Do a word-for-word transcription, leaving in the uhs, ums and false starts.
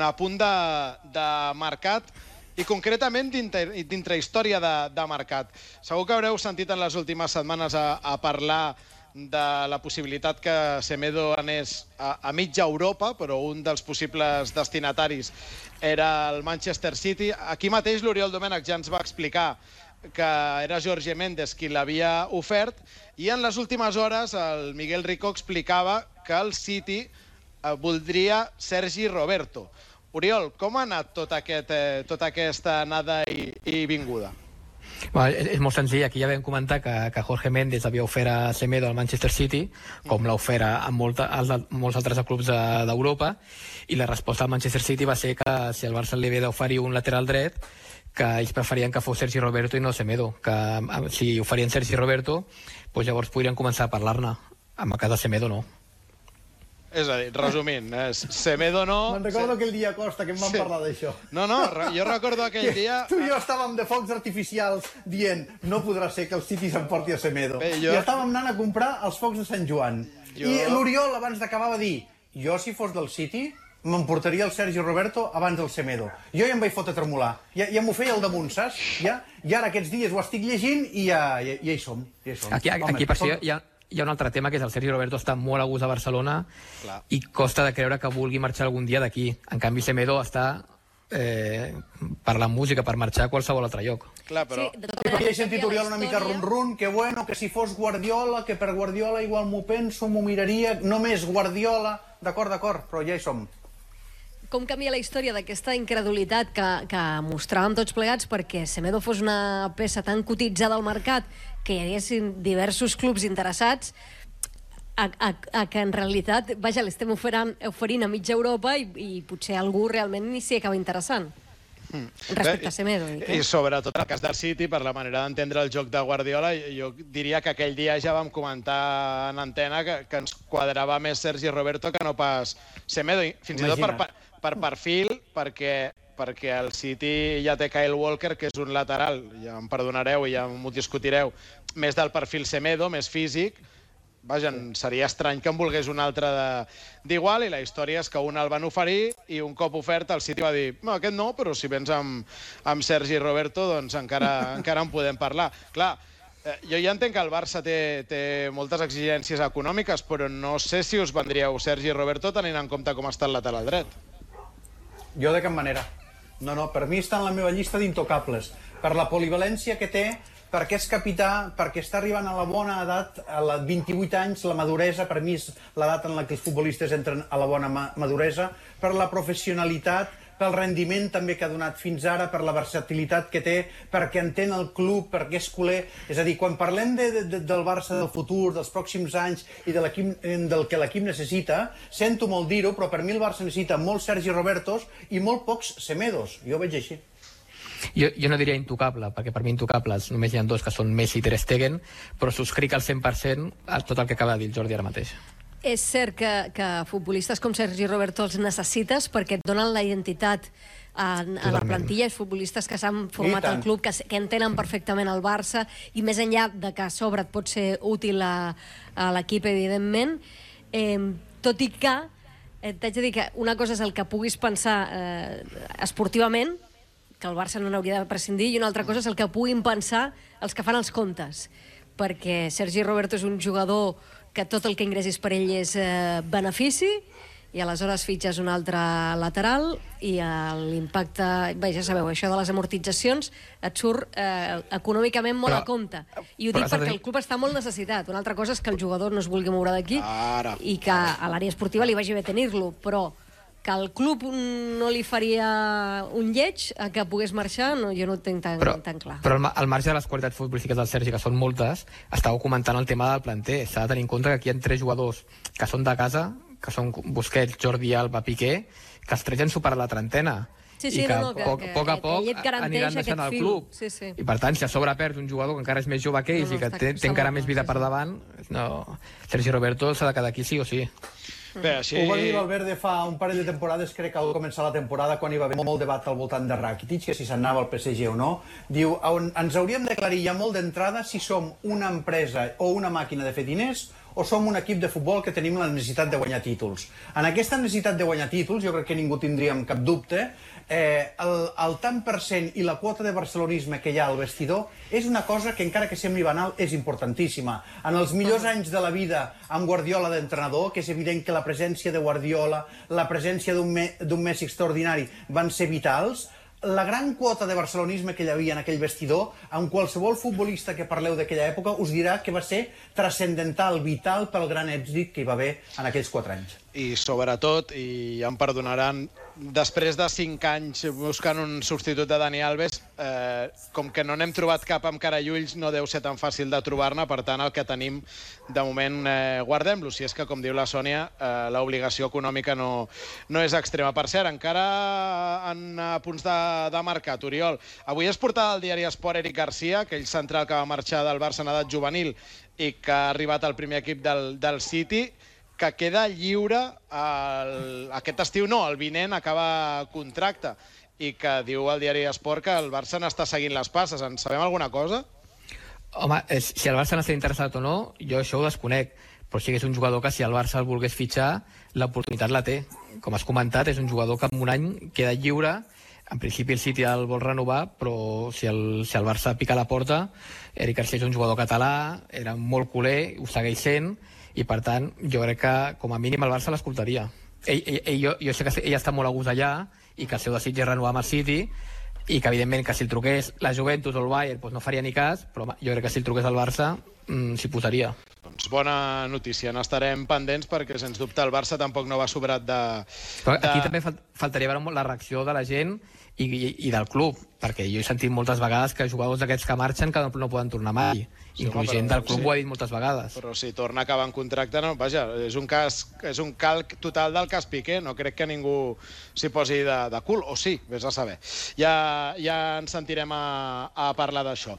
a punt de, de mercat i concretament dintre història de, de mercat. Segur que haureu sentit en les últimes setmanes a, a parlar de la possibilitat que Semedo anés a, a mitja Europa, però un dels possibles destinataris era el Manchester City. Aquí mateix l'Oriol Domènech ja ens va explicar que era Jorge Méndez qui l'havia ofert, i en les últimes hores el Miguel Rico explicava que el City voldria Sergi Roberto. Oriol, com ha anat tot aquest, eh, tota aquesta anada i, i vinguda? Bueno, és molt senzill. Aquí ja vam comentar que, que Jorge Méndez havia ofert a Semedo al Manchester City, com l'ha ofert a, molta, a molts altres clubs d'Europa, i la resposta al Manchester City va ser que si el Barça li havia d'oferir un lateral dret, que ells preferien que fos Sergi Roberto i no Semedo, que si oferien Sergi Roberto, doncs llavors podrien començar a parlar-ne. En el cas de Semedo no. És a dir, resumint, és Semedo no... Me'n recordo aquell dia, Costa, que em van sí. parlar d'això. No, no, jo recordo aquell dia... Tu i jo estàvem de focs artificials dient no podrà ser que el City s'emporti a Semedo. Bé, jo... I estàvem anant a comprar els focs de Sant Joan. Jo... I l'Oriol abans d'acabar va dir, jo si fos del City m'emportaria el Sergi Roberto abans del Semedo. Jo ja em vaig fotre a tremolar. Ja, ja m'ho feia al damunt, saps? Ja, I ara aquests dies ho estic llegint i ja, ja, ja hi som. Ja hi som. Aquí, Home, aquí per si hi ha... Hi ha un altre tema, que és el Sergi Roberto està molt a gust a Barcelona. Clar. I costa de creure que vulgui marxar algun dia d'aquí. En canvi, Semedo està eh, per la música, per marxar a qualsevol altre lloc. Clar, però... Sí, perquè he sentit Oriol una mica rum-rum, que bueno, que si fos Guardiola, que per Guardiola igual m'ho penso, m'ho miraria, només Guardiola... D'acord, d'acord, però ja hi som. Com canvia la història d'aquesta incredulitat que, que mostràvem tots plegats perquè Semedo fos una peça tan cotitzada al mercat que hi haguessin diversos clubs interessats a, a, a que en realitat, vaja, l'estem oferint, oferint a mitja Europa i, i potser algú realment ni s'hi acaba interessant. Mm. Respecte a Semedo. I, I sobretot el cas del City, per la manera d'entendre el joc de Guardiola, jo diria que aquell dia ja vam comentar en antena que, que ens quadrava més Sergi Roberto que no pas Semedo. I fins Imagina't. i tot per, per perfil, perquè, perquè el City ja té Kyle Walker, que és un lateral, ja em perdonareu i ja m'ho discutireu, més del perfil Semedo, més físic. Vaja, seria estrany que en volgués un altre d'igual, i la història és que un el van oferir i un cop ofert el City va dir no, aquest no, però si vens amb, amb Sergi Roberto doncs encara, encara en podem parlar. Clar, eh, jo ja entenc que el Barça té, té moltes exigències econòmiques, però no sé si us vendríeu Sergi Roberto tenint en compte com està el lateral dret. Jo de cap manera. No, no, per mi està en la meva llista d'intocables. Per la polivalència que té, perquè és capità, perquè està arribant a la bona edat, a la vint-i-vuit anys, la maduresa, per mi és l'edat en la que els futbolistes entren a la bona maduresa, per la professionalitat, pel rendiment també que ha donat fins ara, per la versatilitat que té, perquè entén el club, perquè és culer. És a dir, quan parlem de, de, del Barça del futur, dels pròxims anys i de del que l'equip necessita, sento molt dir-ho, però per mi el Barça necessita molts Sergi Robertos i molt pocs Semedos. Jo ho veig així. Jo, jo no diria intocable, perquè per mi intocables només hi ha dos, que són Messi i Ter Stegen, però subscric al cent per cent a tot el que acaba de dir el Jordi ara mateix. És cert que, que futbolistes com Sergi Roberto els necessites perquè et donen la identitat a, a la plantilla, els futbolistes que s'han format al club, que, que entenen perfectament el Barça, i més enllà de que a sobre et pot ser útil a, a l'equip, evidentment, eh, tot i que eh, t'haig de dir que una cosa és el que puguis pensar eh, esportivament, que el Barça no n'hauria de prescindir, i una altra cosa és el que puguin pensar els que fan els comptes, perquè Sergi Roberto és un jugador que tot el que ingressis per ell és eh, benefici, i aleshores fitxes un altre lateral i l'impacte, bé, ja sabeu, això de les amortitzacions et surt eh, econòmicament molt però, a compte. I ho dic perquè el club està molt necessitat. Una altra cosa és que el jugador no es vulgui moure d'aquí i que a l'àrea esportiva li vagi bé tenir-lo, però que el club no li faria un lleig a que pogués marxar, no, jo no ho tinc tan, però, tan clar. Però al marge de les qualitats futbolístiques del Sergi, que són moltes, estàveu comentant el tema del planter. S'ha de tenir en compte que aquí hi ha tres jugadors que són de casa, que són Busquets, Jordi Alba, Piqué, que els tres ja han superat la trentena. Sí, sí, i que, no, no, que, poc, que, poc a poc que aniran deixant el club. Sí, sí. I per tant, si a sobre perd un jugador que encara és més jove que ells no, no, i que té, té encara més vida sí, per davant, no, Sergi Roberto s'ha de quedar aquí sí o sí. Bé, així... Ho va dir Valverde fa un parell de temporades, crec que al començar la temporada, quan hi va haver molt debat al voltant de Rakitic, que si s'anava al P S G o no, diu, ens hauríem d'aclarir ja molt d'entrada si som una empresa o una màquina de fer diners o som un equip de futbol que tenim la necessitat de guanyar títols? En aquesta necessitat de guanyar títols, jo crec que ningú tindríem cap dubte, eh, el, el tant per cent i la quota de barcelonisme que hi ha al vestidor és una cosa que, encara que sembli banal, és importantíssima. En els millors anys de la vida amb Guardiola d'entrenador, que és evident que la presència de Guardiola, la presència d'un me, d'un Messi extraordinari van ser vitals, la gran quota de barcelonisme que hi havia en aquell vestidor, amb qualsevol futbolista que parleu d'aquella època us dirà que va ser transcendental, vital pel gran èxit que hi va haver en aquells quatre anys. I sobretot, i ja em perdonaran, després de cinc anys buscant un substitut de Dani Alves, eh, com que no n'hem trobat cap amb cara i ulls, no deu ser tan fàcil de trobar-ne, per tant el que tenim de moment eh, guardem-lo, si és que, com diu la Sònia, eh, l'obligació econòmica no, no és extrema. Per cert, encara en a punts de, de mercat, Oriol, avui es portava al diari Esport Eric Garcia, aquell central que va marxar del Barça en edat juvenil i que ha arribat al primer equip del, del City, que queda lliure el, aquest estiu, no, el vinent acaba contracte, i que diu al diari Esport que el Barça n'està seguint les passes. En sabem alguna cosa? Home, si el Barça n'està interessat o no, jo això ho desconec, però sí que és un jugador que si el Barça el volgués fitxar, l'oportunitat la té. Com has comentat, és un jugador que en un any queda lliure. En principi el City el vol renovar, però si el, si el Barça pica la porta, Eric Garcia és un jugador català, era molt culer, ho segueix sent, i per tant jo crec que com a mínim el Barça l'escoltaria. Ell, ell, ell, jo, jo sé que ell està molt a gust allà i que el seu desig és renovar amb el City, i que evidentment que si el truqués la Juventus o el Bayern doncs no faria ni cas, però home, jo crec que si el truqués al Barça mmm, s'hi posaria. Doncs bona notícia, n'estarem pendents perquè sens dubte el Barça tampoc no va sobrat de... Però aquí de... també faltaria veure molt la reacció de la gent i, i, i del club, perquè jo he sentit moltes vegades que jugadors d'aquests que marxen que no, no poden tornar mai. Sí, inclús gent del club sí. Ho ha dit moltes vegades. Però si torna a acabar en contracte, no, vaja, és un cas, és un calc total del cas Piqué, no crec que ningú s'hi posi de, de cul, o sí, vés a saber. Ja, ja ens sentirem a, a parlar d'això.